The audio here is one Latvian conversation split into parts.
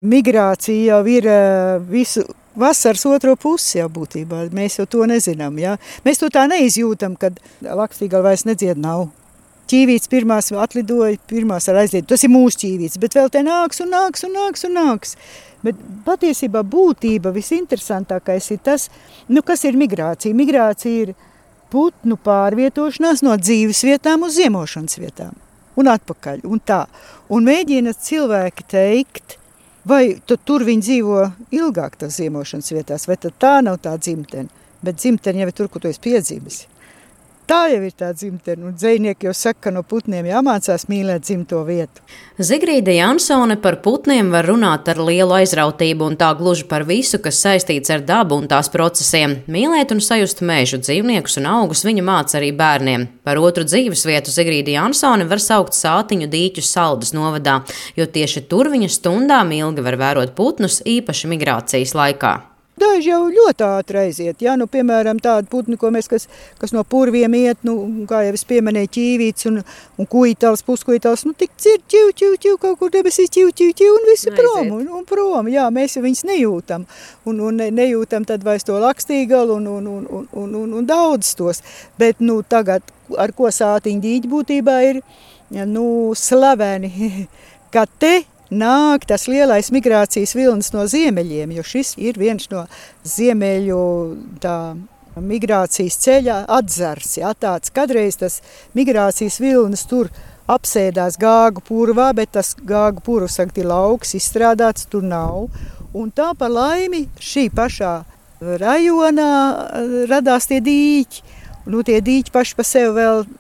Migrācija jau ir visu vasaras otro pusi jau būtībā. Mēs jau to nezinām. Ja? Mēs to tā neizjūtam, kad Lakstīgala vairs nedzied nav. Ķīvītes pirmās atlidoja, pirmās ar aizliet. Tas ir mūsu ķīvītes, bet vēl te nāks un nāks un nāks un nāks. Bet patiesībā būtība visinteresantākais ir tas, kas ir migrācija. Migrācija ir putnu pārvietošanās no dzīves vietām uz ziemošanas vietām. Un atpakaļ, un tā. Un mēģina cilvēki teikt, vai tur viņi dzīvo ilgāk tās ziemošanas vietās, vai tad tā nav tā dzimtene. Bet dzimtene jau ir tur, kur tu esi piedzīvis. Tā jau ir tā dzimtene, un dzejnieki jau saka, ka no putniem jāmācās mīlēt dzimto vietu. Zigrīde Jansone par putniem var runāt ar lielu aizrautību un tā gluži par visu, kas saistīts ar dabu un tās procesiem. Mīlēt un sajust mežu, dzīvniekus un augus viņa māca arī bērniem. Par otru dzīvesvietu Zigrīde Jansone var saukt Sātiņu dīķus Saldus novadā, jo tieši tur viņa stundām ilgi var vērot putnus, īpaši migrācijas laikā. Daži jau ļoti ātri aiziet, piemēram, tādi putni, kas no purviem iet, kā jau es pieminēju, ķīvītes un kuitals, puskujitals, tik dzird, ķiu, kaut kur debesīs, ķiu, un visi prom, un prom, mēs jau viņus nejūtam, un nejūtam tad vairs to Lakstīgalu un daudz tos, bet, tagad, ar ko Sātiņu dīķi būtībā ir, slaveni, ka te nāk tas lielais migrācijas vilnis no ziemeļiem, jo šis ir viens no ziemeļu migrācijas ceļa atzars. Tāds kadreiz tas migrācijas vilnis tur apsēdās Gāgu purvā, bet tas Gāgu purvs ir lauks, izstrādāts tur nav. Un tā par laimi šī pašā rajonā radās tie dīķi. Tie dīķi paši pa sevi vēl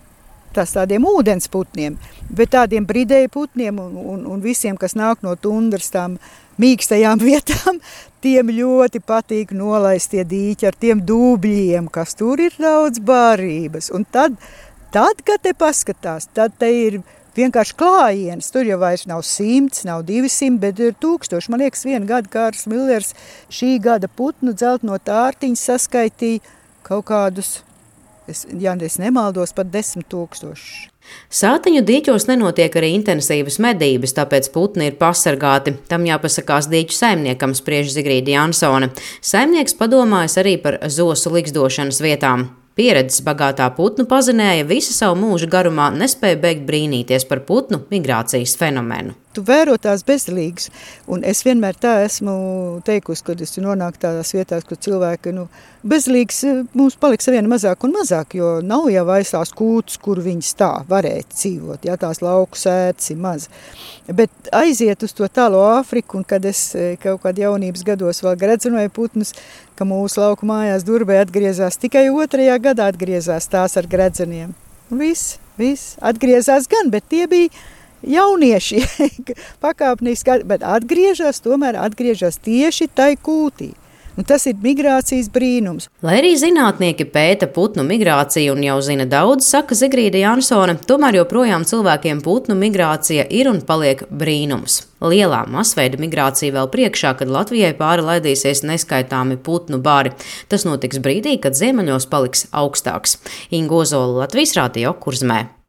tādiem ūdensputniem, bet tādiem bridēju putniem un visiem, kas nāk no tundras tām mīkstajām vietām, tiem ļoti patīk nolaist tie dīķi ar tiem dūbļiem, kas tur ir daudz barības. Un tad, kad te paskatās, tad te ir vienkārši klājiens. Tur jau vairs nav 100, nav 200, bet ir 1000. Man liekas, vienu gadu Kārlis Millers šī gada putnu dzeltno tārtiņu saskaitīja kaut kādus, ja es nemaldos, pat 10 000. Sātiņu dīķos nenotiek arī intensīvas medības, tāpēc putni ir pasargāti. Tam jāpasakās dīķu saimniekam, spriež Zigrīde Jansone. Saimnieks padomājas arī par zosu ligzdošanas vietām. Pieredzes bagātā putnu pazinēja visu savu mūžu garumā, nespēja beigt brīnīties par putnu migrācijas fenomenu. Tu vēro tās bezdelīgas, un es vienmēr tā esmu teikusi, kad es nonāku tādās vietās, kur cilvēki, bezdelīgas mums paliks vien mazāk un mazāk, jo nav jau vairs tās kūtas, kur viņas tā varētu dzīvot, tās lauku sētas ir maz. Bet aiziet uz to tālo Āfriku, un kad es kaut kādā jaunības gados vēl gredzenoju putnus, ka mūsu lauku mājās Durbē atgriezās tikai 2. gadā atgriezās tās ar gredzeniem. Viss atgriezās gan, bet tie bija jaunieši pakāpniski, bet atgriežas tieši tai kūtī. Un tas ir migrācijas brīnums. Lai arī zinātnieki pēta putnu migrāciju un jau zina daudz, saka Zigrīde Jansone, tomēr joprojām cilvēkiem putnu migrācija ir un paliek brīnums. Lielā masveida migrācija vēl priekšā, kad Latvijai pāri laidīsies neskaitāmi putnu bari. Tas notiks brīdī, kad ziemeļos paliks augstāks. Inga Ozola, Latvijas Radio, Kurzmē.